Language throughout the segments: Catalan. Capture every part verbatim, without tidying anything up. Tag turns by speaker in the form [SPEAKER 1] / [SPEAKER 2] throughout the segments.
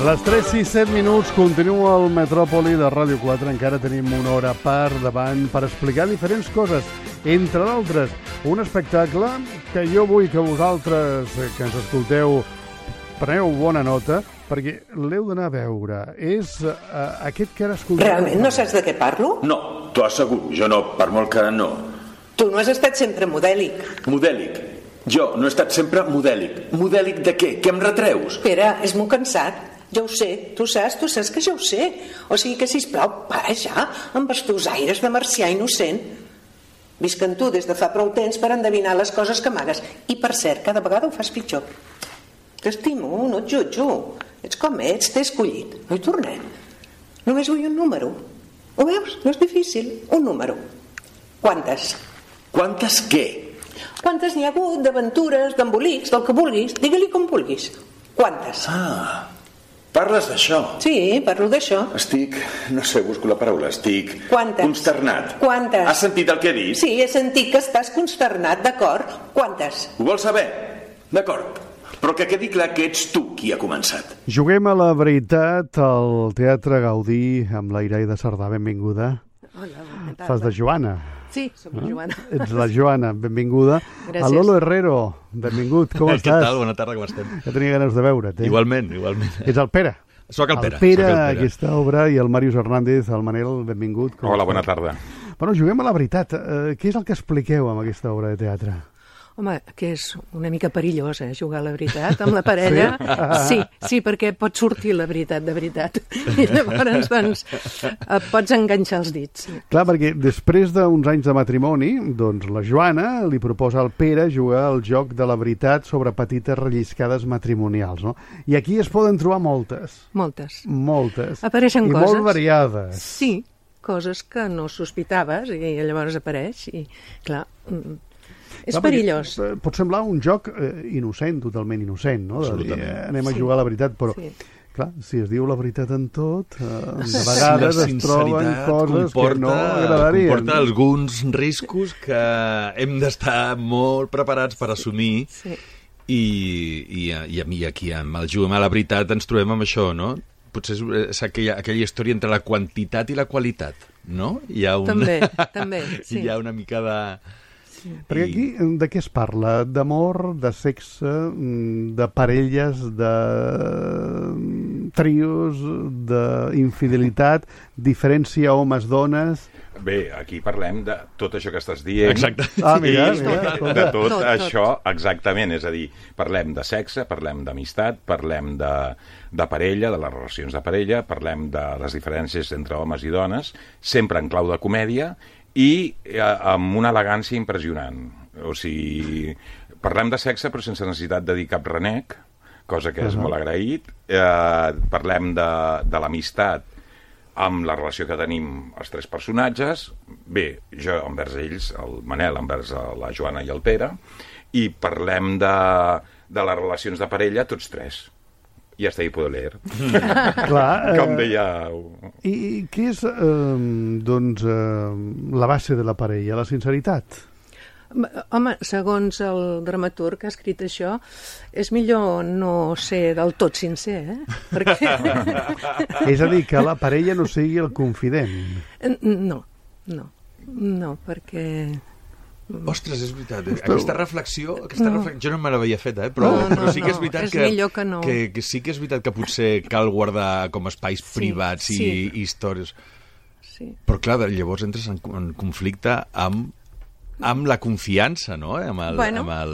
[SPEAKER 1] Les tres i set minuts, continua el Metròpoli de Ràdio quatre. Encara tenim una hora per davant per explicar diferents coses. Entre d'altres, un espectacle que jo vull que vosaltres, que ens escolteu, preneu bona nota, perquè l'heu d'anar a veure. És uh, aquest que ara escolteu...
[SPEAKER 2] Realment no saps de què parlo?
[SPEAKER 3] No, t'ho asseguro, jo no, per molt que no.
[SPEAKER 2] Tu no has estat sempre modèlic.
[SPEAKER 3] Modèlic? Jo no he estat sempre modèlic. Modèlic de què? Què em retreus?
[SPEAKER 2] Pere, és molt cansat. Ja ho sé, tu saps, tu saps que ja ho sé. O sigui que, sisplau, para ja amb els teus aires de marcià innocent. Visc en tu des de fa prou temps per endevinar les coses que amagues. I, per cert, cada vegada ho fas pitjor. T'estimo, no et jutjo. Ets com ets, t'he escollit. No hi tornem. Només vull un número. Ho veus? No és difícil. Un número. Quantes?
[SPEAKER 3] Quantes què?
[SPEAKER 2] Quantes n'hi ha hagut d'aventures, d'embolics, del que vulguis. Digue-li com vulguis. Quantes?
[SPEAKER 3] Ah, parles d'això?
[SPEAKER 2] Sí, parlo d'això.
[SPEAKER 3] Estic, no sé, busco la paraula, estic...
[SPEAKER 2] Quantes?
[SPEAKER 3] Consternat.
[SPEAKER 2] Quantes?
[SPEAKER 3] Has sentit el que he dit?
[SPEAKER 2] Sí, he sentit que estàs consternat, d'acord? Quantes?
[SPEAKER 3] Ho vols saber? D'acord. Però que quedi clar que ets tu qui ha començat.
[SPEAKER 1] Juguem a la veritat al Teatre Gaudí amb la Iraida Cerdà. Benvinguda.
[SPEAKER 4] Hola, bona tarda.
[SPEAKER 1] Fas de Joana.
[SPEAKER 4] Sí, soc la Joana.
[SPEAKER 1] Ets la Joana, benvinguda.
[SPEAKER 4] Gràcies.
[SPEAKER 1] A Lolo Herrero, benvingut, com estàs?
[SPEAKER 5] Què tal? Bona tarda, com estem?
[SPEAKER 1] Ja tenia ganes de veure't, eh?
[SPEAKER 5] Igualment, igualment.
[SPEAKER 1] Ets el Pere.
[SPEAKER 5] Soc el Pere.
[SPEAKER 1] El Pere,
[SPEAKER 5] soc el Pere.
[SPEAKER 1] aquesta obra, i el Màrius Hernández, el Manel, benvingut. Com
[SPEAKER 6] Hola,
[SPEAKER 1] estàs?
[SPEAKER 6] bona tarda.
[SPEAKER 1] Bueno, juguem a la veritat. Eh, què és el que expliqueu amb aquesta obra de teatre?
[SPEAKER 4] Home, que és una mica perillós, eh, jugar a la veritat amb la parella. Sí, sí, sí, perquè pot sortir la veritat de veritat. I llavors, doncs, et pots enganxar els dits.
[SPEAKER 1] Clar, perquè després d'uns anys de matrimoni, doncs la Joana li proposa al Pere jugar al joc de la veritat sobre petites relliscades matrimonials, no? I aquí es poden trobar moltes.
[SPEAKER 4] Moltes.
[SPEAKER 1] Moltes.
[SPEAKER 4] Apareixen
[SPEAKER 1] I
[SPEAKER 4] coses.
[SPEAKER 1] molt variades.
[SPEAKER 4] Sí, coses que no sospitaves i llavors apareix i, clar, mm, és
[SPEAKER 1] Clar,
[SPEAKER 4] perillós.
[SPEAKER 1] perquè, eh, Pot semblar un joc eh, innocent, totalment innocent, no? De dir, eh, anem a
[SPEAKER 4] Sí.
[SPEAKER 1] jugar a la veritat, però...
[SPEAKER 4] Sí.
[SPEAKER 1] Clar, si es diu la veritat en tot, eh, de
[SPEAKER 5] Sí,
[SPEAKER 1] vegades
[SPEAKER 5] la
[SPEAKER 1] es troben
[SPEAKER 5] sinceritat
[SPEAKER 1] coses
[SPEAKER 5] comporta,
[SPEAKER 1] que no agradarien.
[SPEAKER 5] Comporta alguns riscos que hem d'estar molt preparats per assumir.
[SPEAKER 4] Sí.
[SPEAKER 5] I, i, i, i aquí, amb el Juguem a la veritat, ens trobem amb això, no? Potser és, és aquella, aquella història entre la quantitat i la qualitat, no? Hi ha un...
[SPEAKER 4] També, també, sí.
[SPEAKER 5] Hi ha una mica de...
[SPEAKER 1] Perquè aquí de què es parla? D'amor, de sexe, de parelles, de trios, d'infidelitat, diferència homes-dones...
[SPEAKER 6] Bé, aquí parlem de tot això que estàs dient.
[SPEAKER 5] Exacte.
[SPEAKER 1] Ah, mira,
[SPEAKER 6] I
[SPEAKER 1] mira.
[SPEAKER 6] de tot,
[SPEAKER 4] Tot,
[SPEAKER 6] això, exactament. És a dir, parlem de sexe, parlem d'amistat, parlem de, de parella, de les relacions de parella, parlem de les diferències entre homes i dones, sempre en clau de comèdia i eh, amb una elegància impressionant. O sigui, parlem de sexe però sense necessitat de dir cap renec, cosa que és
[SPEAKER 1] Uh-huh.
[SPEAKER 6] molt agraït. Eh, parlem de, de l'amistat amb la relació que tenim els tres personatges, bé, jo envers ells, el Manel envers la Joana i el Pere, i parlem de, de les relacions de parella, tots tres. I hasta ahí puedo leer.
[SPEAKER 1] Clar,
[SPEAKER 6] Com
[SPEAKER 1] eh,
[SPEAKER 6] dèieu.
[SPEAKER 1] I, I què és, eh, doncs, eh, la base de la parella? La sinceritat?
[SPEAKER 4] Home, segons el dramaturg que ha escrit això, és millor no ser del tot sincer, eh? Perquè...
[SPEAKER 1] És a dir, que la parella no sigui el confident.
[SPEAKER 4] No, no, no, perquè...
[SPEAKER 5] Ostres, és veritat. Aquesta reflexió, aquesta
[SPEAKER 4] No.
[SPEAKER 5] reflexió jo no me l'havia fet, eh? Però,
[SPEAKER 4] No, no,
[SPEAKER 5] però sí que és
[SPEAKER 4] no,
[SPEAKER 5] veritat
[SPEAKER 4] és
[SPEAKER 5] que,
[SPEAKER 4] millor que no.
[SPEAKER 5] que, que sí que és veritat que potser cal guardar com espais
[SPEAKER 4] Sí,
[SPEAKER 5] privats i,
[SPEAKER 4] sí.
[SPEAKER 5] i històries.
[SPEAKER 4] Sí.
[SPEAKER 5] Però clar, llavors entres en, en conflicte amb, amb la confiança, no? Amb el,
[SPEAKER 4] Bueno.
[SPEAKER 5] amb el...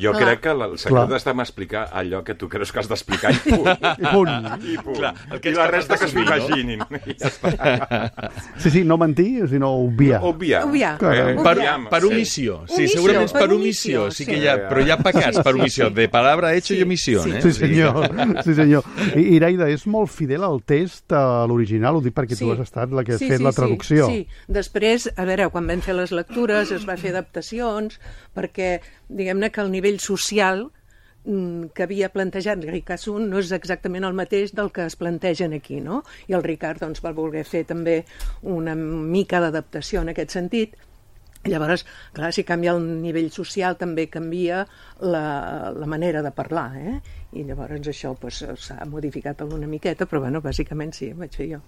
[SPEAKER 6] Jo
[SPEAKER 4] Clar.
[SPEAKER 6] crec que el secret
[SPEAKER 1] Clar.
[SPEAKER 6] està en explicar allò que tu creus que has d'explicar i punt.
[SPEAKER 1] I punt.
[SPEAKER 6] I punt.
[SPEAKER 5] Clar, el que
[SPEAKER 6] I
[SPEAKER 5] ets
[SPEAKER 6] la
[SPEAKER 5] capaç
[SPEAKER 6] resta que
[SPEAKER 5] d'assumir,
[SPEAKER 6] s'ho imaginin. I ja està.
[SPEAKER 1] Sí, sí, no mentir, sinó obviar.
[SPEAKER 6] Obviar.
[SPEAKER 4] Obviar.
[SPEAKER 1] Caram.
[SPEAKER 6] Eh,
[SPEAKER 5] Per,
[SPEAKER 6] obviam,
[SPEAKER 5] per
[SPEAKER 6] sí.
[SPEAKER 5] omissió. Sí,
[SPEAKER 4] Omissió,
[SPEAKER 5] segurament és
[SPEAKER 4] per
[SPEAKER 5] per
[SPEAKER 4] omissió,
[SPEAKER 5] omissió. Sí que
[SPEAKER 4] sí.
[SPEAKER 5] hi ha, però hi ha pecats per omissió. De palabra hecho
[SPEAKER 4] Sí,
[SPEAKER 5] i omissió,
[SPEAKER 4] sí.
[SPEAKER 5] eh?
[SPEAKER 1] Sí, senyor. Sí, senyor. I, Iraida, és molt fidel al text, a l'original, ho dic perquè tu has estat la que has
[SPEAKER 4] Sí,
[SPEAKER 1] fet
[SPEAKER 4] sí,
[SPEAKER 1] la traducció.
[SPEAKER 4] Sí, sí. Després, a veure, quan vam fer les lectures es va fer adaptacions perquè, diguem-ne, que el nivell social mm, que havia plantejat Ricard Sun no és exactament el mateix del que es plantegen aquí, no? I el Ricard doncs, va voler fer també una mica d'adaptació en aquest sentit. Llavors, clar, si canvia el nivell social també canvia la, la manera de parlar, eh? I llavors això pues, s'ha modificat una miqueta, però bueno, bàsicament sí, ho vaig fer jo.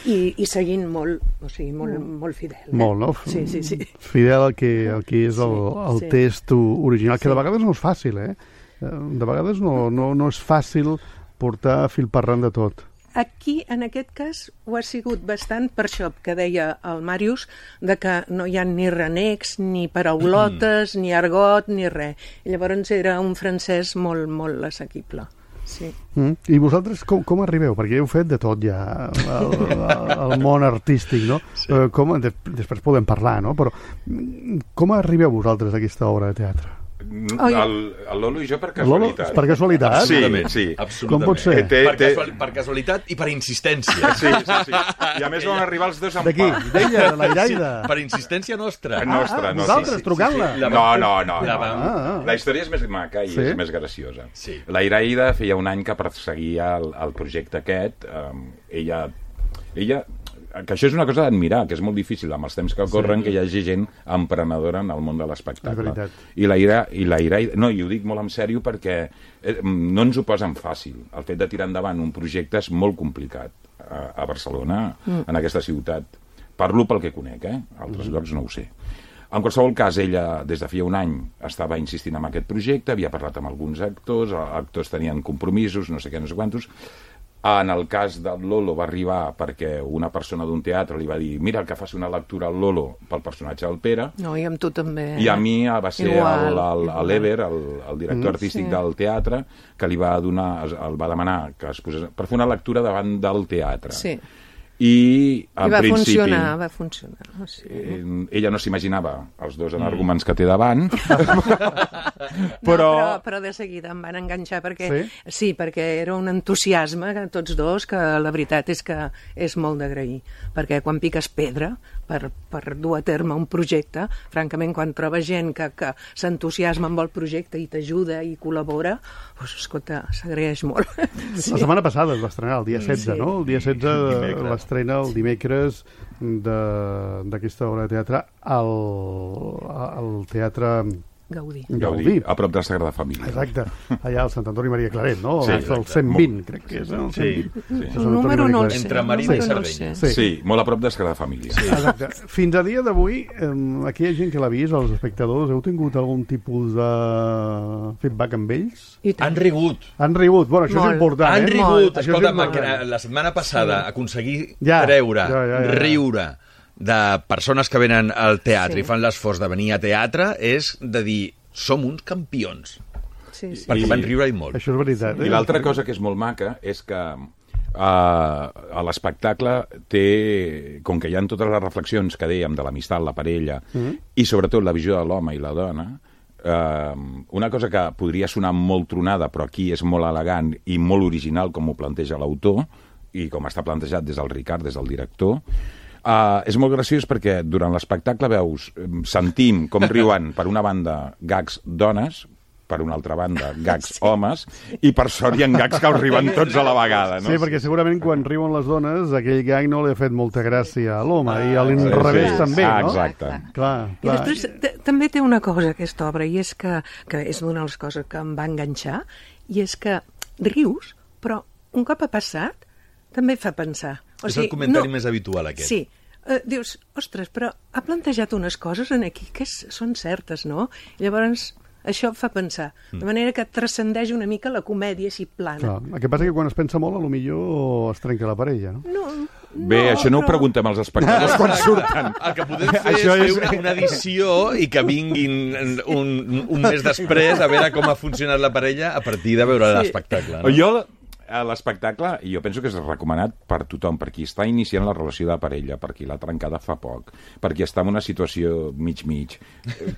[SPEAKER 4] I, i seguint molt, o sigui, molt, molt fidel. Eh?
[SPEAKER 1] Molt, no?
[SPEAKER 4] Sí, sí, sí.
[SPEAKER 1] Fidel al que, al que és el, el
[SPEAKER 4] sí,
[SPEAKER 1] test original, que
[SPEAKER 4] sí.
[SPEAKER 1] de vegades no és fàcil, eh? De vegades no, no, no és fàcil portar fil parlant de tot.
[SPEAKER 4] Aquí, en aquest cas, ho ha sigut bastant per això que deia el Màrius, de que no hi ha ni renecs, ni paraulotes, ni argot, ni res. I llavors era un francès molt, molt assequible. Sí.
[SPEAKER 1] Mm. I vosaltres com, com arribeu? Perquè heu fet de tot ja al, al món artístic, no? Sí. Com, de, després podem parlar, no? Però com arribeu vosaltres a aquesta obra de teatre?
[SPEAKER 6] Oh, el, el Lolo i jo per casualitat.
[SPEAKER 1] Lolo, per casualitat?
[SPEAKER 6] Sí,
[SPEAKER 5] Absolutament,
[SPEAKER 6] sí.
[SPEAKER 5] absolutament.
[SPEAKER 1] Com pot ser?
[SPEAKER 5] Té, per, casual, per casualitat i per insistència.
[SPEAKER 6] Sí, sí, sí. I a més van arribar els dos amb
[SPEAKER 1] D'aquí,
[SPEAKER 6] pa.
[SPEAKER 1] d'ella, de la Iraida.
[SPEAKER 5] Sí, per insistència nostra.
[SPEAKER 6] Nostra,
[SPEAKER 1] Ah,
[SPEAKER 6] no.
[SPEAKER 1] vosaltres,
[SPEAKER 6] Sí, sí,
[SPEAKER 1] trucant-la.
[SPEAKER 6] sí, sí. No, no, no.
[SPEAKER 5] La
[SPEAKER 6] no.
[SPEAKER 5] vam-
[SPEAKER 1] Ah, ah.
[SPEAKER 6] La història és més maca i
[SPEAKER 1] Sí?
[SPEAKER 6] és més graciosa.
[SPEAKER 5] Sí.
[SPEAKER 6] La Iraida feia un any que perseguia el, el projecte aquest. Um, ella, ella que això és una cosa d'admirar, que és molt difícil amb els temps que corren, sí. que hi hagi gent emprenedora en el món de l'espectacle. I la Ira, i la Ira, no, i ho dic molt en sèrio perquè eh, no ens ho posen fàcil. El fet de tirar endavant un projecte és molt complicat a, a Barcelona, mm. en aquesta ciutat. Parlo pel que conec, eh? A altres mm. llocs no ho sé. En qualsevol cas, ella, des de feia un any, estava insistint en aquest projecte, havia parlat amb alguns actors, els actors tenien compromisos, no sé què, no sé quantos. En el cas del Lolo va arribar perquè una persona d'un teatre li va dir mira, que faci una lectura al Lolo pel personatge del Pere.
[SPEAKER 4] No, i amb tu també.
[SPEAKER 6] I a mi va ser l'Ever, el, el, el director
[SPEAKER 4] Mm,
[SPEAKER 6] artístic
[SPEAKER 4] sí.
[SPEAKER 6] del teatre, que li va donar, el va demanar que es posés per fer una lectura davant del teatre.
[SPEAKER 4] Sí.
[SPEAKER 6] I, en
[SPEAKER 4] I va
[SPEAKER 6] principi,
[SPEAKER 4] funcionar, va funcionar. O sigui,
[SPEAKER 6] eh, ella no s'imaginava els dos arguments que té davant,
[SPEAKER 4] però...
[SPEAKER 6] però...
[SPEAKER 4] No, però, però de seguida em van enganxar perquè
[SPEAKER 1] Sí?
[SPEAKER 4] sí? sí, perquè era un entusiasme que tots dos que la veritat és que és molt d'agrair, perquè quan piques pedra per, per dur a terme un projecte, francament quan trobes gent que, que s'entusiasma amb el projecte i t'ajuda i col·labora, doncs escolta, s'agraeix molt.
[SPEAKER 1] Sí. La setmana passada es va estrenar, el dia setze,
[SPEAKER 4] Sí.
[SPEAKER 1] no? El dia setze
[SPEAKER 5] Dimecres.
[SPEAKER 1] l'estrena el dimecres d'aquesta obra de teatre al, al Teatre
[SPEAKER 4] Gaudí.
[SPEAKER 6] Gaudí,
[SPEAKER 1] Gaudí.
[SPEAKER 6] a prop de la Sagrada Família.
[SPEAKER 1] Exacte, allà al Sant Antoni Maria Claret, no?
[SPEAKER 6] Sí,
[SPEAKER 1] Sí, el
[SPEAKER 6] exacte.
[SPEAKER 1] cent vint, crec que és, no?
[SPEAKER 5] Sí,
[SPEAKER 1] sí.
[SPEAKER 6] sí.
[SPEAKER 4] El número no el sé.
[SPEAKER 5] Entre Marina
[SPEAKER 4] el
[SPEAKER 5] i
[SPEAKER 4] número no el
[SPEAKER 5] Sardenya.
[SPEAKER 4] sé.
[SPEAKER 1] Sí.
[SPEAKER 6] Sí, molt a prop de la Sagrada Família. Sí.
[SPEAKER 1] Exacte. Fins a dia d'avui, eh, aquí hi ha gent que l'ha vist, els espectadors, heu tingut algun tipus de feedback amb ells?
[SPEAKER 4] I tant.
[SPEAKER 5] Han rigut.
[SPEAKER 1] Han rigut, bueno, això
[SPEAKER 4] Molt.
[SPEAKER 1] és important,
[SPEAKER 5] Han
[SPEAKER 1] eh?
[SPEAKER 5] rigut.
[SPEAKER 1] Això és
[SPEAKER 5] Escolta,
[SPEAKER 1] important.
[SPEAKER 5] la setmana passada aconseguir
[SPEAKER 1] Ja,
[SPEAKER 5] treure,
[SPEAKER 1] ja, ja, ja.
[SPEAKER 5] riure de persones que venen al teatre
[SPEAKER 4] Sí.
[SPEAKER 5] i fan l'esforç de venir a teatre és de dir, som uns campions.
[SPEAKER 4] Sí, sí.
[SPEAKER 5] Perquè
[SPEAKER 6] I-
[SPEAKER 5] van riure i molt.
[SPEAKER 1] Això és veritat.
[SPEAKER 6] I l'altra cosa que és molt maca és que uh, a l'espectacle té, com que hi ha totes les reflexions que dèiem de l'amistat, la parella, mm. i sobretot la visió de l'home i la dona, uh, una cosa que podria sonar molt tronada, però aquí és molt elegant i molt original com ho planteja l'autor, i com està plantejat des del Ricard, des del director, Uh, és molt graciós perquè durant l'espectacle veus, em, sentim com riuen per una banda gags dones, per una altra banda gags homes, i per sort hi ha gags que els riuen tots a la vegada, no?
[SPEAKER 1] Sí, perquè segurament quan riuen les dones aquell gag no li ha fet molta gràcia a l'home, i a l'inrevés
[SPEAKER 6] sí.
[SPEAKER 1] també,
[SPEAKER 6] Ah,
[SPEAKER 1] no?
[SPEAKER 6] exacte.
[SPEAKER 1] Clar,
[SPEAKER 4] I
[SPEAKER 1] clar.
[SPEAKER 4] després t- també té una cosa aquesta obra, i és que, que és una de les coses que em va enganxar, i és que rius, però un cop ha passat també fa pensar. O
[SPEAKER 5] És el comentari més habitual, aquest.
[SPEAKER 4] Sí. Uh, dius, ostres, però ha plantejat unes coses en aquí que és, són certes, no? I llavors això fa pensar. De manera que transcendeix una mica la comèdia així plana.
[SPEAKER 1] Clar. El que passa que quan es pensa molt, a lo millor es trenca la parella, no?
[SPEAKER 4] No,
[SPEAKER 6] Bé,
[SPEAKER 4] no,
[SPEAKER 6] això no ho
[SPEAKER 4] però-
[SPEAKER 6] preguntem als espectadors quan surten.
[SPEAKER 5] El que podem fer
[SPEAKER 6] Això
[SPEAKER 5] és
[SPEAKER 6] és-
[SPEAKER 5] fer una edició i que vinguin un, un mes després a veure com ha funcionat la parella a partir de veure
[SPEAKER 4] Sí.
[SPEAKER 5] l'espectacle. No?
[SPEAKER 6] Jo, a l'espectacle, jo penso que és recomanat per tothom, per qui està iniciant la relació de parella, per qui l'ha trencada fa poc, per qui està en una situació mig-mig.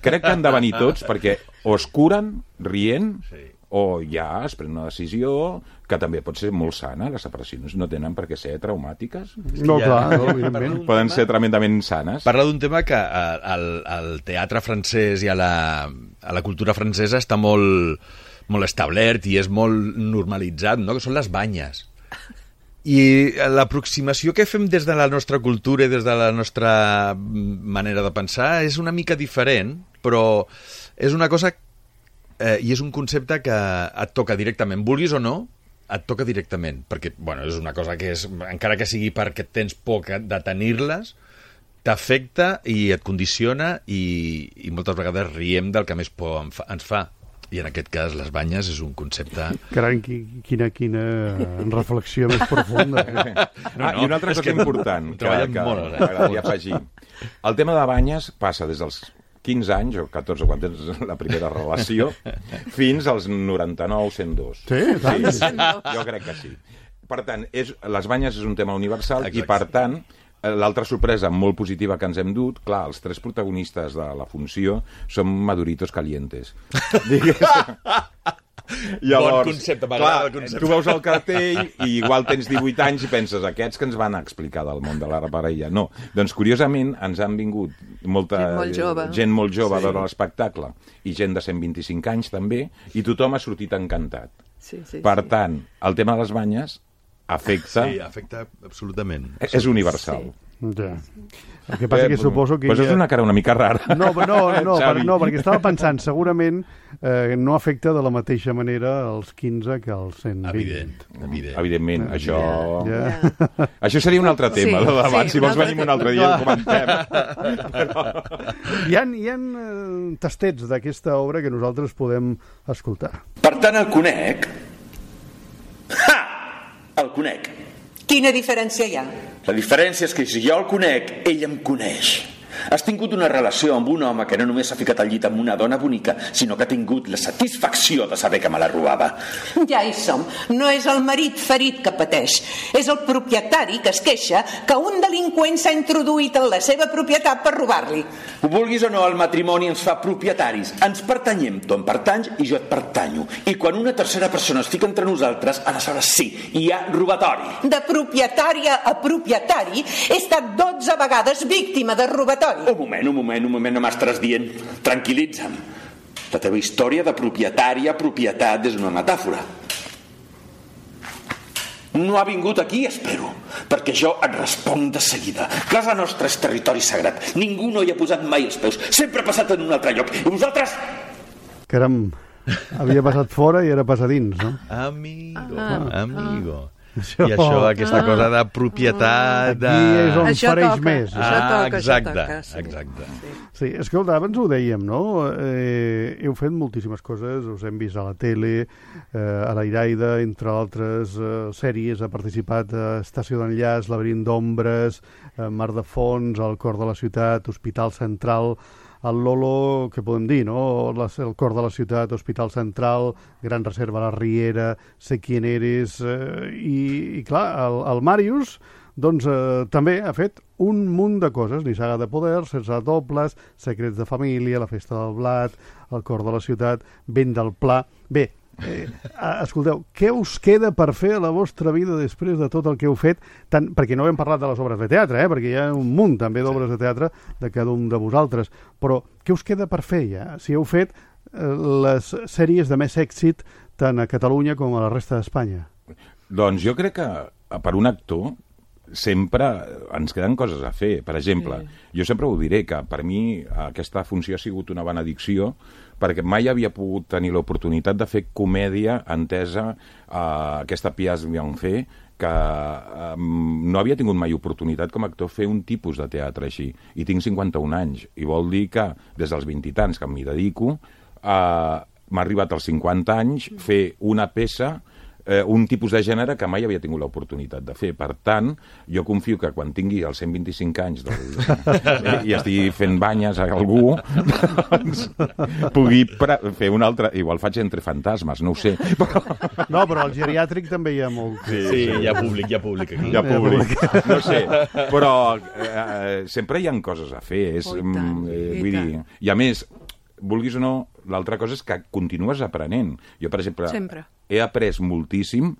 [SPEAKER 6] Crec que han de venir tots perquè o es curen rient,
[SPEAKER 5] Sí.
[SPEAKER 6] o ja es pren una decisió que també pot ser molt sana. Les separacions no tenen per què ser traumàtiques.
[SPEAKER 1] No,
[SPEAKER 5] Ja,
[SPEAKER 1] clar, no,
[SPEAKER 5] parla
[SPEAKER 1] evidentment.
[SPEAKER 5] d'un
[SPEAKER 6] Poden
[SPEAKER 5] tema-
[SPEAKER 6] ser tremendament sanes.
[SPEAKER 5] Parla d'un tema que eh, al, al teatre francès i a la, a la cultura francesa està molt, molt establert i és molt normalitzat, no? Que són les banyes. I l'aproximació que fem des de la nostra cultura i des de la nostra manera de pensar és una mica diferent, però és una cosa eh, i és un concepte que et toca directament, vulguis o no, et toca directament, perquè bueno, és una cosa que és, encara que sigui perquè tens por de tenir-les, t'afecta i et condiciona i, i moltes vegades riem del que més por ens fa. I en aquest cas les banyes és un concepte...
[SPEAKER 1] Carai, quina, quina reflexió més profunda.
[SPEAKER 6] No, no, ah, I una altra cosa important que, que
[SPEAKER 5] molt,
[SPEAKER 6] m'agradaria afegir. El tema de banyes passa des dels quinze anys, o catorze, quan tens la primera relació, fins als noranta-nou, cent dos.
[SPEAKER 1] Sí, tant.
[SPEAKER 6] Sí, jo crec que sí. Per tant, és, les banyes és un tema universal. Exacte. I, per tant, l'altra sorpresa molt positiva que ens hem dut, clar, els tres protagonistes de la funció són maduritos calientes. Llavors,
[SPEAKER 5] bon concepte, m'agrada el concepte.
[SPEAKER 6] Tu veus el cartell i igual tens divuit anys i penses, aquests que ens van explicar del món de la parella. No, doncs curiosament ens han vingut molta
[SPEAKER 4] gent molt jove,
[SPEAKER 6] gent molt jove
[SPEAKER 4] sí.
[SPEAKER 6] a veure l'espectacle i gent de cent vint-i-cinc anys també, i tothom ha sortit encantat.
[SPEAKER 4] Sí, sí,
[SPEAKER 6] per
[SPEAKER 4] sí.
[SPEAKER 6] tant, el tema de les banyes afecta...
[SPEAKER 5] Sí, afecta absolutament.
[SPEAKER 6] És universal.
[SPEAKER 1] Sí. Ja. El que passa eh, que suposo que...
[SPEAKER 6] Pues ja... és una cara una mica rara.
[SPEAKER 1] No, no, no, per, no perquè estava pensant, segurament eh, no afecta de la mateixa manera als quinze que als cent vint.
[SPEAKER 5] Evident, evident.
[SPEAKER 6] Evidentment, yeah. això...
[SPEAKER 1] Yeah.
[SPEAKER 6] Yeah. Això seria un altre tema, sí, de debat. Sí, si vols venim un altre dia i ho comentem.
[SPEAKER 1] Però... Hi ha, hi ha eh, tastets d'aquesta obra que nosaltres podem escoltar.
[SPEAKER 3] Per tant, el conec. Ha! El conec.
[SPEAKER 2] Quina diferència hi ha?
[SPEAKER 3] La diferència és que si jo el conec, ell em coneix. Has tingut una relació amb un home que no només s'ha ficat al llit amb una dona bonica, sinó que ha tingut la satisfacció de saber que me la robava.
[SPEAKER 2] Ja hi som. No és el marit ferit que pateix. És el propietari que es queixa que un delinqüent s'ha introduït en la seva propietat per robar-li.
[SPEAKER 3] Ho vulguis o no, el matrimoni ens fa propietaris. Ens pertanyem, tu em pertanys i jo et pertanyo. I quan una tercera persona es fica entre nosaltres, aleshores sí, hi ha robatori.
[SPEAKER 2] De propietària a propietari he estat dotze vegades víctima de robatori.
[SPEAKER 3] Un moment, un moment, un moment, no m'estàs dient. Tranquil·litza'm. La teva història de propietari a propietat és una metàfora. No ha vingut aquí, espero, perquè jo et responc de seguida. Casa nostra és territori sagrat. Ningú no hi ha posat mai els peus. Sempre ha passat en un altre lloc. I vosaltres?
[SPEAKER 1] Caram, havia passat fora i era passar dins, no?
[SPEAKER 5] Amigo,
[SPEAKER 4] ah,
[SPEAKER 5] amigo.
[SPEAKER 4] Ah.
[SPEAKER 1] Això...
[SPEAKER 5] I això, aquesta ah. cosa de propietat... De...
[SPEAKER 1] Aquí és on
[SPEAKER 4] això
[SPEAKER 1] fareix
[SPEAKER 4] toca,
[SPEAKER 1] més.
[SPEAKER 4] Això
[SPEAKER 5] Ah,
[SPEAKER 4] toca,
[SPEAKER 5] exacte,
[SPEAKER 4] això toca, sí.
[SPEAKER 5] exacte.
[SPEAKER 4] Sí.
[SPEAKER 1] Sí, escolta, abans ho dèiem, no? Eh, heu fet moltíssimes coses, us hem vist a la tele, eh, a l'Airaida, entre altres eh, sèries, ha participat a Estació d'Enllaç, Laberint d'Ombres, eh, Mar de Fons, El cor de la ciutat, Hospital Central, el Lolo, què podem dir, no? El cor de la ciutat, Hospital Central, Gran Reserva La Riera, Sé quién eres, eh, i, i clar, el, el Màrius doncs eh, també ha fet un munt de coses, Nissaga de poder, Sense dobles, Secrets de família, La festa del blat, El cor de la ciutat, Vent del pla... Bé, eh, escolteu, què us queda per fer a la vostra vida després de tot el que heu fet? Tant, perquè no hem parlat de les obres de teatre, eh, perquè hi ha un munt també d'obres de teatre de cada un de vosaltres, però què us queda per fer ja? Si heu fet eh, les sèries de més èxit tant a Catalunya com a la resta d'Espanya.
[SPEAKER 6] Doncs jo crec que per un actor sempre ens queden coses a fer. Per exemple, sí. jo sempre ho diré, que per mi aquesta funció ha sigut una benedicció, perquè mai havia pogut tenir l'oportunitat de fer comèdia entesa a aquesta Piaz Bianfé, que um, no havia tingut mai oportunitat com a actor fer un tipus de teatre així. I tinc cinquanta-un anys, i vol dir que des dels vint i tants que m'hi dedico, uh, m'ha arribat als cinquanta anys fer una peça eh, un tipus de gènere que mai havia tingut l'oportunitat de fer. Per tant, jo confio que quan tingui els cent vint-i-cinc anys del... i estigui fent banyes a algú, doncs pugui fer un altre... Igual faig Entre fantasmes, no ho sé. Però...
[SPEAKER 1] No, però al geriàtric també hi ha molt...
[SPEAKER 5] Sí, sí, hi ha públic, hi ha públic aquí.
[SPEAKER 6] Hi ha públic, no sé. Però eh, sempre hi ha coses a fer. És,
[SPEAKER 4] oh, tant,
[SPEAKER 6] eh, vull dir, i a més, vulguis o no, l'altra cosa és que continues aprenent. Jo, per exemple,
[SPEAKER 4] sempre.
[SPEAKER 6] he après moltíssim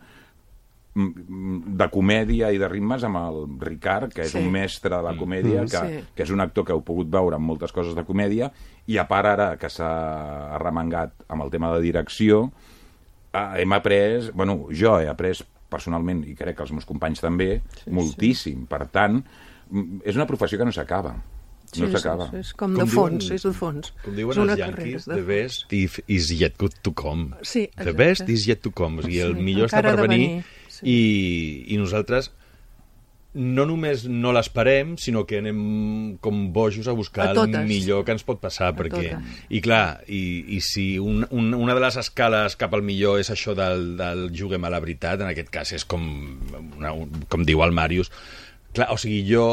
[SPEAKER 6] de comèdia i de ritmes amb el Ricard, que és sí. un mestre de la comèdia, que, sí. que és un actor que heu pogut veure en moltes coses de comèdia, i a part ara que s'ha arremangat amb el tema de direcció, hem après, bueno, jo he après personalment, i crec que els meus companys també, sí, moltíssim. Sí. Per tant, és una professió que no s'acaba.
[SPEAKER 4] Sí,
[SPEAKER 6] no s'acaba.
[SPEAKER 4] És, és com, com de fons, diuen, és de fons.
[SPEAKER 5] Com diuen els yanquis, the best is yet to come.
[SPEAKER 4] Sí,
[SPEAKER 5] the best is yet to come. O sigui, el sí, millor està per venir, venir. Sí. I, i nosaltres no només no l'esperem, sinó que anem com bojos a buscar a el millor que ens pot passar. Perquè, i clar, i, i si un, un, una de les escales cap al millor és això del, del juguem a la veritat, en aquest cas és com, una, com diu el Màrius, clar, o sigui, jo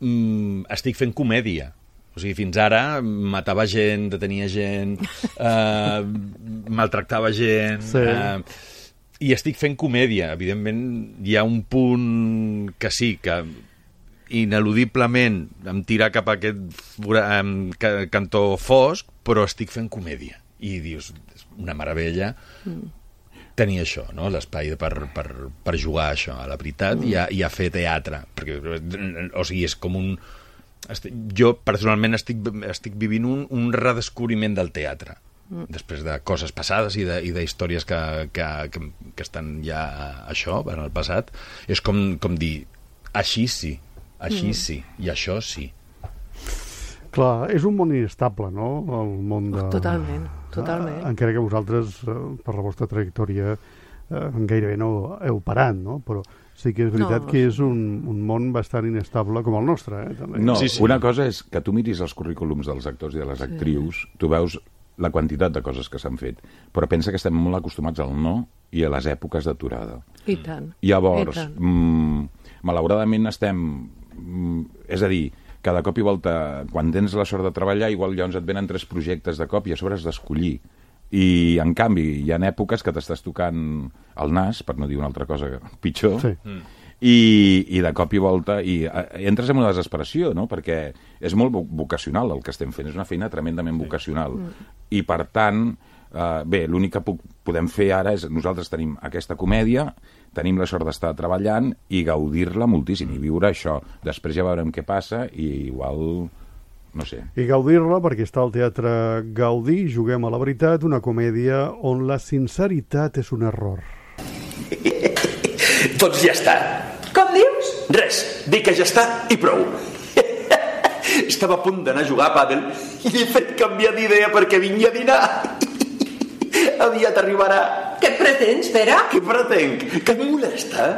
[SPEAKER 5] mm, estic fent comèdia. O sigui, fins ara matava gent, detenia gent, eh, maltractava gent... Sí. Eh, I estic fent comèdia. Evidentment, hi ha un punt que sí, que ineludiblement em tira cap a aquest um, cantó fosc, però estic fent comèdia. I dius, una meravella mm. tenir això, no? L'espai per, per, per jugar a això, a la veritat, mm. i, a, i a fer teatre. Perquè, o sigui, és com un... Estic, jo, personalment, estic, estic vivint un, un redescobriment del teatre. Mm. Després de coses passades i de, i de històries que, que, que, que estan ja això, en el passat, és com, com dir, així sí, així mm. sí, i això sí.
[SPEAKER 1] Clar, és un món inestable, no?, el món de...
[SPEAKER 4] Totalment, totalment.
[SPEAKER 1] Ah, encara que vosaltres, per la vostra trajectòria, eh, gairebé no heu parat, no?, però sí que és veritat no, que és un, un món bastant inestable com el nostre, eh, també.
[SPEAKER 6] No,
[SPEAKER 1] sí,
[SPEAKER 6] sí. Una cosa és que tu miris els currículums dels actors i de les actrius, sí. Tu veus la quantitat de coses que s'han fet, però pensa que estem molt acostumats al no i a les èpoques d'aturada.
[SPEAKER 4] I tant.
[SPEAKER 6] Llavors,
[SPEAKER 4] I tant.
[SPEAKER 6] Mm, malauradament estem... Mm, és a dir, cada cop i volta, quan tens la sort de treballar, igual llavors et venen tres projectes de cop i a sobre has d'escollir. I, en canvi, hi ha èpoques que t'estàs tocant el nas, per no dir una altra cosa pitjor, sí. mm. I, i de cop i volta i eh, entres en una desesperació, no? Perquè és molt vocacional el que estem fent, és una feina tremendament vocacional. Mm. I, per tant, eh, bé, l'únic que puc, podem fer ara és, nosaltres tenim aquesta comèdia, tenim la sort d'estar treballant i gaudir-la moltíssim, i viure això. Després ja veurem què passa i igual... no sé.
[SPEAKER 1] I gaudir-la perquè està al Teatre Gaudí, Juguem a la veritat, una comèdia on la sinceritat és un error.
[SPEAKER 3] Doncs ja està.
[SPEAKER 2] Com dius?
[SPEAKER 3] Res, dic que ja està i prou. Estava a punt d'anar a jugar a pàdel i l'he fet canviar d'idea perquè vingui a dinar. Aviat arribarà.
[SPEAKER 2] Què pretens, Pere?
[SPEAKER 3] Què pretenc? Que em molesta?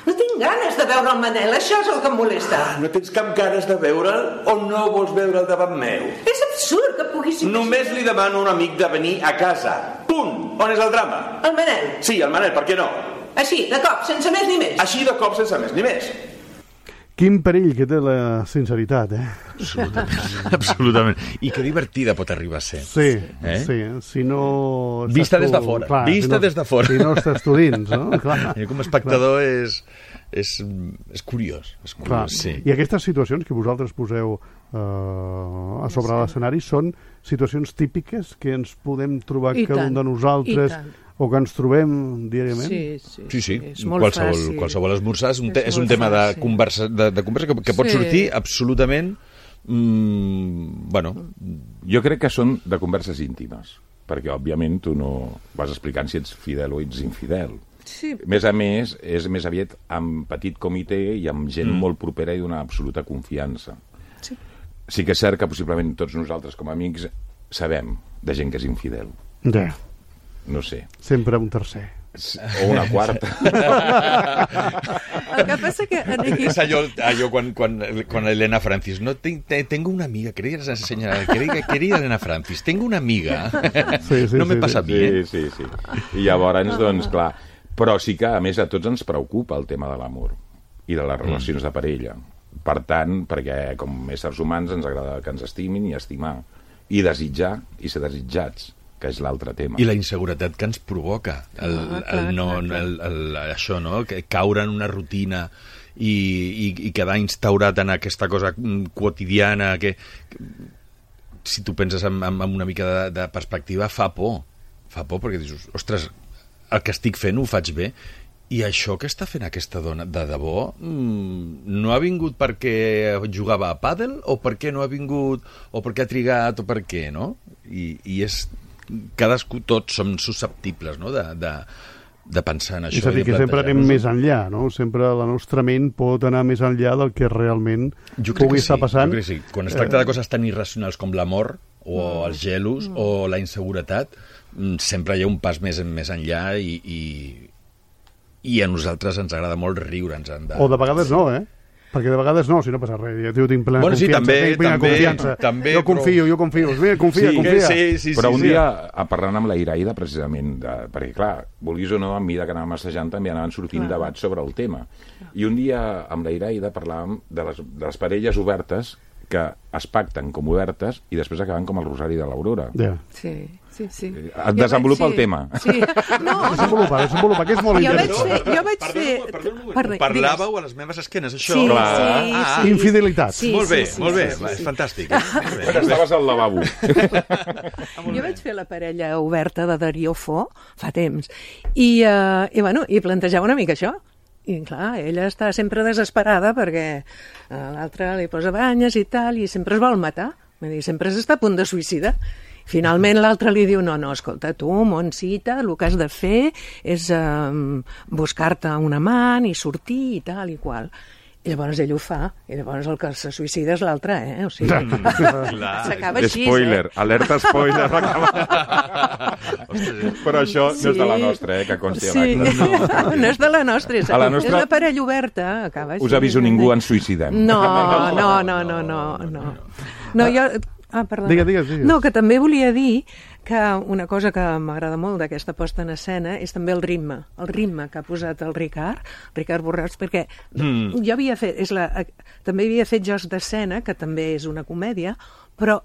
[SPEAKER 2] No tinc ganes de veure el Manel, això és el que em molesta.
[SPEAKER 3] Ah, no tens cap ganes de veure'l o no vols veure'l davant meu?
[SPEAKER 2] És absurd que puguis...
[SPEAKER 3] Només li demano a un amic de venir a casa. Punt. On és el drama?
[SPEAKER 2] El Manel.
[SPEAKER 3] Sí, el Manel, per què no?
[SPEAKER 2] Així, de cop, sense més ni més.
[SPEAKER 3] Així, de cop, sense més ni més.
[SPEAKER 1] Quin perill que té la sinceritat, eh?
[SPEAKER 5] Absolutament. Absolutament. I que divertida pot arribar a ser.
[SPEAKER 1] Sí, eh? sí. Si no...
[SPEAKER 5] Vista des de fora. Clar, Vista si no, des de fora.
[SPEAKER 1] Si no estàs tu dins, no? Clar.
[SPEAKER 5] I com a espectador és, és, és curiós. És curiós, clar. Sí.
[SPEAKER 1] I aquestes situacions que vosaltres poseu eh, a sobre sí. l'escenari són situacions típiques que ens podem trobar I cada tant. un de nosaltres... o que ens trobem diàriament?
[SPEAKER 5] Sí, sí. sí, sí. És molt qualsevol, fàcil. Qualsevol esmorzar és un, te, és és un tema fàcil. de conversa, de, de conversa que, que pot sí. sortir absolutament... Mm, bueno...
[SPEAKER 6] Jo crec que són de converses íntimes, perquè, òbviament, tu no vas explicant si ets fidel o ets infidel. Sí. Més a més, és més aviat amb petit comitè i amb gent mm. molt propera i d'una absoluta confiança. Sí. Sí que és cert que possiblement tots nosaltres com a amics sabem de gent que és infidel.
[SPEAKER 1] Ja.
[SPEAKER 6] No sé.
[SPEAKER 1] Sempre un tercer.
[SPEAKER 6] O una quarta.
[SPEAKER 4] El que passa que... Aquí...
[SPEAKER 5] És allò, allò quan, quan, quan Elena Francis, no, te, te, tengo una amiga, quería enseñar, quería, quería Elena Francis, tengo una amiga, sí, sí, no me sí, passa
[SPEAKER 6] sí,
[SPEAKER 5] a mi, eh?
[SPEAKER 6] Sí, sí, sí. I llavors, doncs, clar, però sí que, a més, a tots ens preocupa el tema de l'amor i de les relacions mm. de parella. Per tant, perquè com éssers humans ens agrada que ens estimin i estimar, i desitjar i ser desitjats, que és l'altre tema.
[SPEAKER 5] I la inseguretat que ens provoca el, ah, clar, el no, clar, el, el, això, no? Que caure en una rutina i, i, i quedar instaurat en aquesta cosa quotidiana que, que si tu penses en, en, en una mica de, de perspectiva fa por, fa por perquè dius, ostres, el que estic fent ho faig bé i això que està fent aquesta dona de debò mmm, no ha vingut perquè jugava a pàdel o perquè no ha vingut o perquè ha trigat o per què, no? I, i és cadascú, tots som susceptibles, no? de, de, de pensar en això.
[SPEAKER 1] És a dir, que sempre anem més enllà, no? Sempre la nostra ment pot anar més enllà del que realment pugui estar passant.
[SPEAKER 5] Jo crec que sí. Quan es tracta de coses tan irracionals com l'amor, o mm. els gelos, mm. o la inseguretat, sempre hi ha un pas més, més enllà i, i, i a nosaltres ens agrada molt riure'ns. De...
[SPEAKER 1] O de vegades no, eh? Perquè de vegades no, si no passa res. Jo tinc plena
[SPEAKER 5] bueno, sí,
[SPEAKER 1] confiança.
[SPEAKER 5] També,
[SPEAKER 1] tinc plena
[SPEAKER 5] també,
[SPEAKER 1] confiança.
[SPEAKER 5] També,
[SPEAKER 1] jo confio,
[SPEAKER 5] però...
[SPEAKER 1] jo confio. Mira, confia,
[SPEAKER 6] sí,
[SPEAKER 1] confia.
[SPEAKER 5] Sí, sí,
[SPEAKER 6] però
[SPEAKER 5] sí,
[SPEAKER 6] un
[SPEAKER 5] sí.
[SPEAKER 6] dia, parlant amb la Iraida, precisament, de, perquè, clar, vulguis o no, a mesura que anàvem assajant també anaven sortint debats sobre el tema. I un dia, amb la Iraida, parlàvem de les, de les parelles obertes que es pacten com obertes i després acaben com el Rosari de l'Aurora.
[SPEAKER 1] Yeah.
[SPEAKER 4] Sí, sí, sí.
[SPEAKER 6] Et desenvolupa
[SPEAKER 4] sí,
[SPEAKER 6] el tema.
[SPEAKER 4] Sí. No,
[SPEAKER 1] desenvolupa, desenvolupa, que és molt
[SPEAKER 4] jo
[SPEAKER 1] interessant.
[SPEAKER 4] Vaig fer, jo vaig fer...
[SPEAKER 5] Parleu, parlàveu a les meves esquenes, això?
[SPEAKER 4] Sí,
[SPEAKER 6] Clar.
[SPEAKER 4] sí,
[SPEAKER 5] Ah,
[SPEAKER 4] sí.
[SPEAKER 1] Infidelitat.
[SPEAKER 4] Sí,
[SPEAKER 5] molt bé,
[SPEAKER 4] sí, sí,
[SPEAKER 5] molt bé,
[SPEAKER 4] sí, sí,
[SPEAKER 5] és
[SPEAKER 4] sí.
[SPEAKER 5] fantàstic. Eh?
[SPEAKER 6] Estaves al lavabo.
[SPEAKER 4] Jo vaig fer la parella oberta de Darío Fo fa temps i, uh, i, bueno, i plantejava una mica això. I clar, ella està sempre desesperada perquè uh, l'altre li posa banyes i tal, i sempre es vol matar. Vull dir, sempre s'està a punt de suïcidar. Finalment l'altre li diu, no, no, escolta, tu, Montsita, el que has de fer és um, buscar-te un amant i sortir i tal i qual. I llavors ell ho fa, i llavors el que se suïcida és l'altre, eh? O sigui, s'acaba així,
[SPEAKER 6] Spoiler,
[SPEAKER 4] eh?
[SPEAKER 6] alerta spoiler. Però això no és de la nostra, eh, que consti
[SPEAKER 4] Sí,
[SPEAKER 6] no.
[SPEAKER 4] no és de la nostra, és,
[SPEAKER 6] A la nostra-
[SPEAKER 4] és la parella oberta, acaba així.
[SPEAKER 6] Us aviso, ningú ens suïcidem.
[SPEAKER 4] No, no, no, no, no, no. No, jo... Ah, perdona.
[SPEAKER 1] Digues, digues, digues.
[SPEAKER 4] No, que també volia dir que una cosa que m'agrada molt d'aquesta posta en escena és també el ritme, el ritme que ha posat el Ricard, Ricard Borràs, perquè mm. jo havia fet, és la, també havia fet Jocs d'Escena, que també és una comèdia, però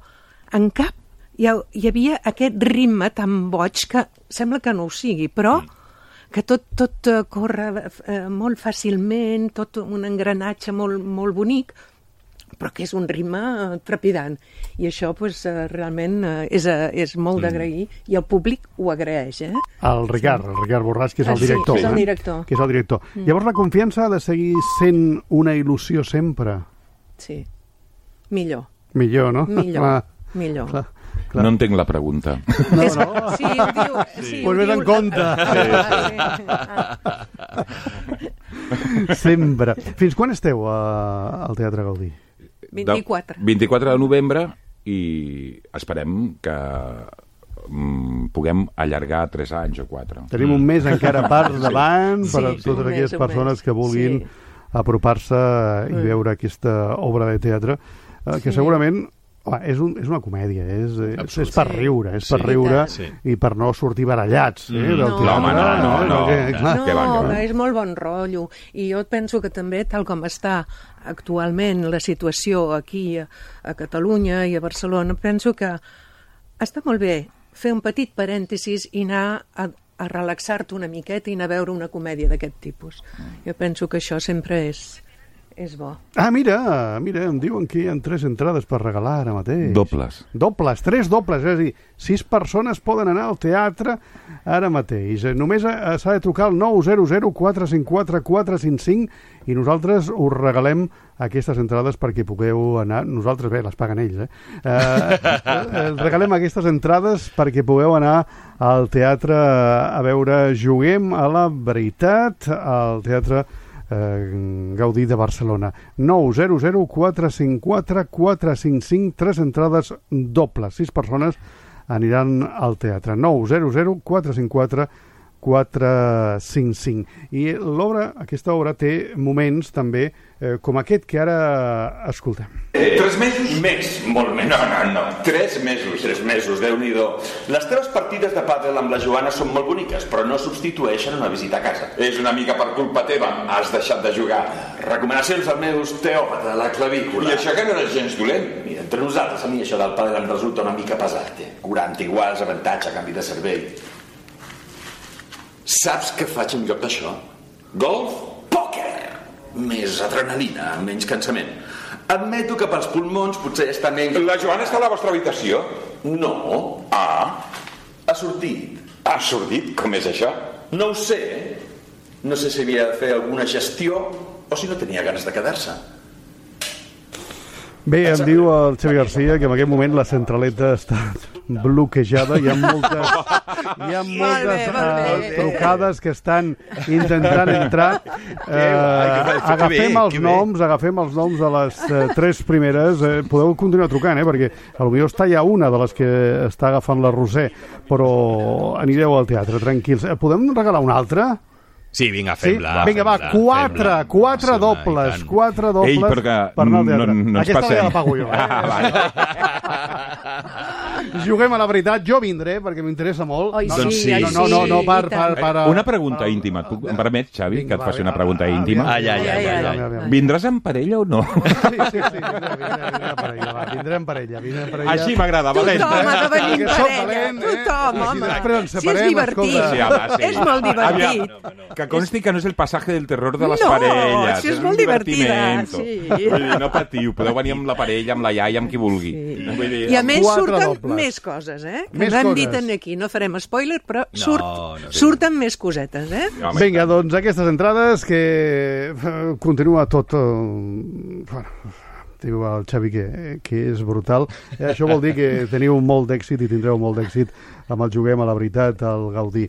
[SPEAKER 4] en cap hi, ha, hi havia aquest ritme tan boig que sembla que no ho sigui, però que tot, tot uh, corre uh, molt fàcilment, tot un engranatge molt, molt bonic, però que és un ritme trepidant. I això pues, realment és, és molt d'agrair, i el públic ho agraeix. Eh?
[SPEAKER 1] El Ricard, el Ricard Borràs, que és el director.
[SPEAKER 4] Sí, és el
[SPEAKER 1] eh?
[SPEAKER 4] director.
[SPEAKER 1] Que és el director. Mm. Llavors la confiança ha de seguir sent una il·lusió sempre.
[SPEAKER 4] Sí. Millor.
[SPEAKER 1] Millor, no?
[SPEAKER 4] Millor.
[SPEAKER 1] Clar,
[SPEAKER 4] Millor.
[SPEAKER 1] clar, clar.
[SPEAKER 6] No entenc la pregunta.
[SPEAKER 1] No,
[SPEAKER 4] És,
[SPEAKER 1] no.
[SPEAKER 4] sí, ho diu... Sí,
[SPEAKER 1] Pues
[SPEAKER 4] ho
[SPEAKER 1] vés
[SPEAKER 4] diu-
[SPEAKER 1] en compte.
[SPEAKER 4] Ah, sí. Ah.
[SPEAKER 1] Sempre. Fins quan esteu a, al Teatre Gaudí?
[SPEAKER 4] vint-i-quatre.
[SPEAKER 6] vint-i-quatre de novembre i esperem que mm, puguem allargar tres anys o quatre.
[SPEAKER 1] Tenim un mes encara per davant
[SPEAKER 4] Sí,
[SPEAKER 1] per a
[SPEAKER 4] sí,
[SPEAKER 1] totes
[SPEAKER 4] un mes,
[SPEAKER 1] aquelles
[SPEAKER 4] un
[SPEAKER 1] persones
[SPEAKER 4] mes.
[SPEAKER 1] que vulguin
[SPEAKER 4] Sí.
[SPEAKER 1] apropar-se i
[SPEAKER 4] Mm.
[SPEAKER 1] veure aquesta obra de teatre, eh, que
[SPEAKER 4] Sí.
[SPEAKER 1] segurament home, és, un, és una comèdia, és, és, és per
[SPEAKER 4] Sí.
[SPEAKER 1] riure, és per
[SPEAKER 5] Sí,
[SPEAKER 1] riure
[SPEAKER 5] sí.
[SPEAKER 1] i per no sortir barallats eh, del
[SPEAKER 4] No.
[SPEAKER 1] teatre.
[SPEAKER 6] No, home, no, no, no.
[SPEAKER 1] Que, clar,
[SPEAKER 4] No,
[SPEAKER 6] que va, que va.
[SPEAKER 4] és molt bon rotllo. I jo penso que també, tal com està actualment la situació aquí a, a Catalunya i a Barcelona, penso que està molt bé fer un petit parèntesis i anar a, a relaxar-te una miqueta i anar a veure una comèdia d'aquest tipus. Jo penso que això sempre és, és bo.
[SPEAKER 1] Ah, mira, mira, em diuen que hi ha tres entrades per regalar ara mateix.
[SPEAKER 6] Dobles.
[SPEAKER 1] Dobles, tres dobles, és a dir, sis persones poden anar al teatre ara mateix. Eh, Només eh, s'ha de trucar al nou zero zero quatre cinc quatre quatre cinc cinc i nosaltres us regalem aquestes entrades perquè pugueu anar... Nosaltres, bé, les paguen ells, eh? eh, eh regalem aquestes entrades perquè pugueu anar al teatre a veure Juguem a la veritat, al teatre eh, Gaudí de Barcelona. nou zero zero quatre cinc quatre quatre cinc cinc, tres entrades dobles, sis persones aniran al teatre. nou zero zero quatre cinc quatre quatre cinc cinc. I l'obra, aquesta obra té moments també eh, com aquest que ara escoltem.
[SPEAKER 3] Eh, tres mesos? Més, molt més. No, no, no. Tres mesos. Tres mesos, Déu-n'hi-do. Les teves partides de pàdel amb la Joana són molt boniques, però no substitueixen una visita a casa. És una mica per culpa teva. Has deixat de jugar. Recomanacions del meu osteòpata, la clavícula. I això que no era gens dolent. Mira, entre nosaltres, a mi això del pàdel em resulta una mica pesat. Eh? quaranta iguals, avantatge, canvi de cervell. Saps què faig en lloc d'això? Golf? Pòquer! Més adrenalina, menys cansament. Admeto que pels pulmons potser està menys...
[SPEAKER 7] La Joana està a la vostra habitació?
[SPEAKER 3] No.
[SPEAKER 7] Ah,
[SPEAKER 3] Ha sortit.
[SPEAKER 7] ha sortit? Com és això?
[SPEAKER 3] No ho sé. No sé si havia de fer alguna gestió o si no tenia ganes de quedar-se.
[SPEAKER 1] Bé, em diu el Xavi Garcia que en aquest moment la centraleta està bloquejada. Hi ha moltes, hi ha moltes
[SPEAKER 4] Molt bé, molt bé.
[SPEAKER 1] uh, trucades que estan intentant entrar. Uh, agafem els noms, agafem els noms de les uh, tres primeres. Uh, podeu continuar trucant, eh? Perquè potser està ja una de les que està agafant la Roser, però anireu al teatre, tranquils. Uh, podem regalar una altra?
[SPEAKER 5] Sí, vinga,
[SPEAKER 1] Sí?
[SPEAKER 5] fem-la.
[SPEAKER 1] Vinga, va,
[SPEAKER 5] fem-la,
[SPEAKER 1] quatre,
[SPEAKER 5] fem-la.
[SPEAKER 1] quatre
[SPEAKER 5] Home,
[SPEAKER 1] dobles,
[SPEAKER 5] i tant.
[SPEAKER 1] quatre dobles
[SPEAKER 6] Ei, perquè
[SPEAKER 1] per anar al teatre.
[SPEAKER 6] no- no ens
[SPEAKER 1] Aquesta
[SPEAKER 6] passem.
[SPEAKER 1] ja la pago jo.
[SPEAKER 6] Ah,
[SPEAKER 1] Eh? Juguem a la veritat, jo vindré, perquè m'interessa molt.
[SPEAKER 4] Oi,
[SPEAKER 1] no,
[SPEAKER 5] Doncs
[SPEAKER 4] sí,
[SPEAKER 5] sí.
[SPEAKER 1] no,
[SPEAKER 4] oi,
[SPEAKER 1] no, no, no,
[SPEAKER 4] sí,
[SPEAKER 1] per,
[SPEAKER 4] i
[SPEAKER 1] per,
[SPEAKER 4] tant.
[SPEAKER 1] per,
[SPEAKER 6] Una pregunta íntima. Et puc- Em permets, Xavi,
[SPEAKER 1] Vinga,
[SPEAKER 6] que et
[SPEAKER 1] va,
[SPEAKER 6] faci una
[SPEAKER 1] va,
[SPEAKER 6] pregunta
[SPEAKER 1] va,
[SPEAKER 6] íntima?
[SPEAKER 1] va,
[SPEAKER 5] Ai, ai, ai, ai, ai.
[SPEAKER 1] Aviam, aviam.
[SPEAKER 6] Vindràs en parella o no?
[SPEAKER 1] Sí, sí, sí, vindré, vindré, vindré en parella, va, vindré en parella, vindré en parella.
[SPEAKER 6] Així m'agrada, valent.
[SPEAKER 4] Tothom ha de venir en
[SPEAKER 1] Que soc
[SPEAKER 4] parella.
[SPEAKER 1] valent, eh?
[SPEAKER 4] Tothom,
[SPEAKER 1] I si
[SPEAKER 4] home.
[SPEAKER 1] després ens
[SPEAKER 4] Si és
[SPEAKER 1] separem,
[SPEAKER 4] divertit.
[SPEAKER 1] escolta.
[SPEAKER 6] Sí, home, sí.
[SPEAKER 4] És molt divertit.
[SPEAKER 6] Aviam, que consti que no és el passatge del terror de les
[SPEAKER 4] No,
[SPEAKER 6] parelles.
[SPEAKER 4] si és
[SPEAKER 6] un
[SPEAKER 4] molt divertida,
[SPEAKER 6] divertimento.
[SPEAKER 4] sí.
[SPEAKER 6] Vull dir, no patiu, podeu venir amb la parella, amb la iaia, amb qui vulgui.
[SPEAKER 4] Sí.
[SPEAKER 6] Vull dir,
[SPEAKER 4] I a més
[SPEAKER 1] Quatre
[SPEAKER 4] surten
[SPEAKER 1] dobles.
[SPEAKER 4] més coses, eh? Que
[SPEAKER 1] Més
[SPEAKER 4] no hem
[SPEAKER 1] coses.
[SPEAKER 4] dit aquí, no farem spoiler, però
[SPEAKER 5] No,
[SPEAKER 4] surt,
[SPEAKER 5] no, sí.
[SPEAKER 4] surten més cosetes, eh?
[SPEAKER 6] home,
[SPEAKER 1] Vinga, doncs aquestes entrades que eh, continua tot... Eh, bueno, diu el Xavi que, que és brutal. Eh, això vol dir que teniu molt d'èxit i tindreu molt d'èxit amb el Juguem a la veritat, al Gaudí.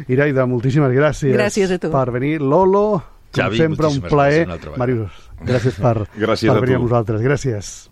[SPEAKER 1] Iraida, moltíssimes gràcies,
[SPEAKER 4] Gràcies a tu.
[SPEAKER 1] per venir. Lolo, com
[SPEAKER 5] Xavi,
[SPEAKER 1] sempre, un
[SPEAKER 5] moltíssimes
[SPEAKER 1] plaer.
[SPEAKER 5] gràcies una altra vegada.
[SPEAKER 1] Màrius, gràcies per,
[SPEAKER 6] Gràcies
[SPEAKER 1] per
[SPEAKER 6] a
[SPEAKER 1] venir
[SPEAKER 6] tu.
[SPEAKER 1] amb nosaltres. Gràcies.